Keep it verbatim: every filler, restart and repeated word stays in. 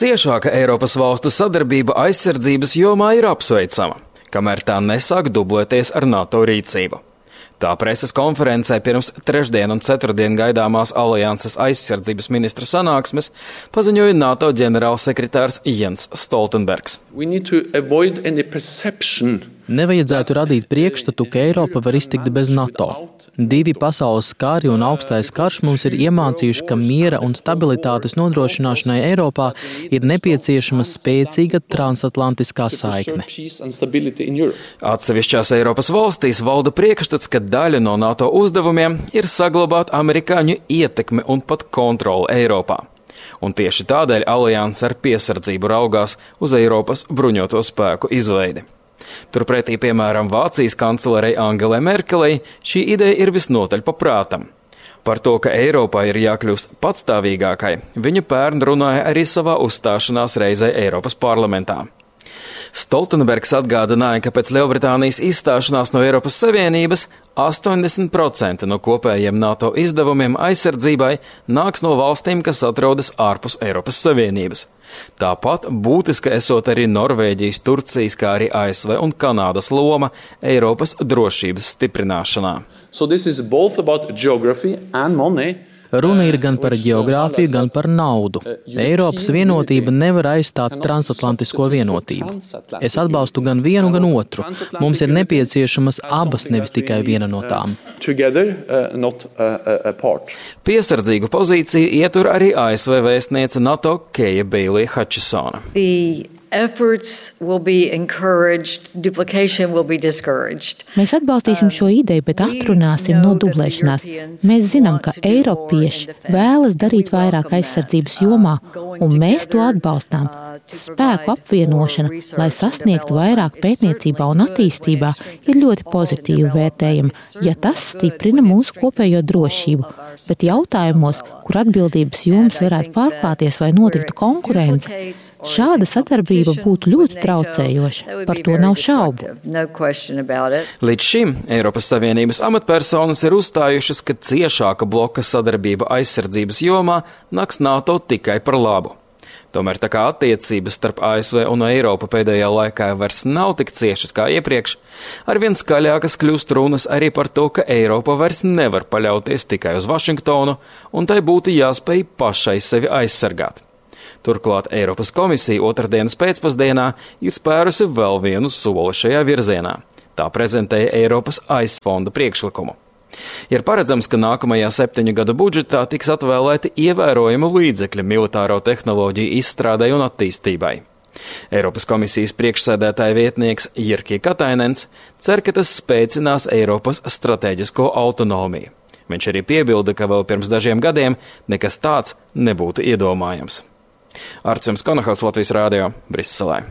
Ciešāka Eiropas valstu sadarbība aizsardzības jomā ir apsveicama, kamēr tā nesāk dublēties ar NATO rīcību. Tā preses konferencē pirms trešdien un ceturtdien gaidāmās alianses aizsardzības ministru sanāksmes paziņoja NATO ģenerālsekretārs Jens Stoltenbergs. Nevajadzētu radīt priekšstatu, ka Eiropa var iztikt bez NATO. Divi pasaules kari un augstais karš mums ir iemācījuši, ka miera un stabilitātes nodrošināšanai Eiropā ir nepieciešama spēcīga transatlantiskā saikne. Atsevišķās Eiropas valstīs valda priekšstats, ka daļa no NATO uzdevumiem ir saglabāt amerikāņu ietekmi un pat kontroli Eiropā. Un tieši tādēļ alianse ar piesardzību raugās uz Eiropas bruņoto spēku izveidi. Turpretī, piemēram, Vācijas kanclerei Angelai Merkelei šī ideja ir visnotaļ paprātam. Par to, ka Eiropā ir jākļūst patstāvīgākai, viņa pērn runāja arī savā uzstāšanās reizē Eiropas parlamentā. Stoltenbergs atgādināja, ka pēc Lielbritānijas izstāšanās no Eiropas Savienības astoņdesmit procenti no kopējiem NATO izdevumiem aizsardzībai nāks no valstīm, kas atrodas ārpus Eiropas Savienības. Tāpat būtiska esot arī Norvēģijas, Turcijas, kā arī A S V un Kanādas loma Eiropas drošības stiprināšanā. So this is both about geography and money. Runa ir gan par geogrāfiju, gan par naudu. Eiropas vienotība nevar aizstāt transatlantisko vienotību. Es atbalstu gan vienu, gan otru. Mums ir nepieciešamas abas, nevis tikai viena no tām. Piesardzīgu pozīciju ietur arī A S V vēstniece NATO Keja Beilija Hutchisona. Efforts will be encouraged, duplication will be discouraged. Mēs atbalstīsim šo ideju, bet atrunāsim no dublēšanās. Mēs zinām, ka eiropieši vēlas darīt vairāk aizsardzības jomā, un mēs to atbalstām. Spēku apvienošana, lai sasniegtu vairāk pētniecībā un attīstībā, ir ļoti pozitīvi vērtējama, ja tas stiprina mūsu kopējo drošību. Bet jautājumos, kur atbildības jomas varētu pārklāties vai notiktu konkurence, šāda sadarbība būtu ļoti traucējoša. Par to nav šaubu. Līdz šim Eiropas Savienības amatpersonas ir uzstājušas, ka ciešāka bloka sadarbība aizsardzības jomā nāks NATO tikai par labu. Tomēr tā kā attiecības starp A S V un Eiropu pēdējā laikā vairs nav tik ciešas kā iepriekš, arvien skaļākas kļūst runas arī par to, ka Eiropa vairs nevar paļauties tikai uz Vašingtonu, un tai būtu jāspēj pašai sevi aizsargāt. Turklāt Eiropas komisija otrdienas pēcpusdienā ir spērusi vēl vienu soli šajā virzienā. Tā prezentēja Eiropas aizfonda priekšlikumu. Ir paredzams, ka nākamajā septiņu gadu budžetā tiks atvēlēti ievērojami līdzekļi militāro tehnoloģiju izstrādei un attīstībai. Eiropas komisijas priekšsēdētāja vietnieks Jyrki Katainens cer, ka tas spēcinās Eiropas stratēģisko autonomiju. Viņš arī piebilda, ka vēl pirms dažiem gadiem nekas tāds nebūtu iedomājams. Artjums Konohaus, Latvijas Rādio, Briselē.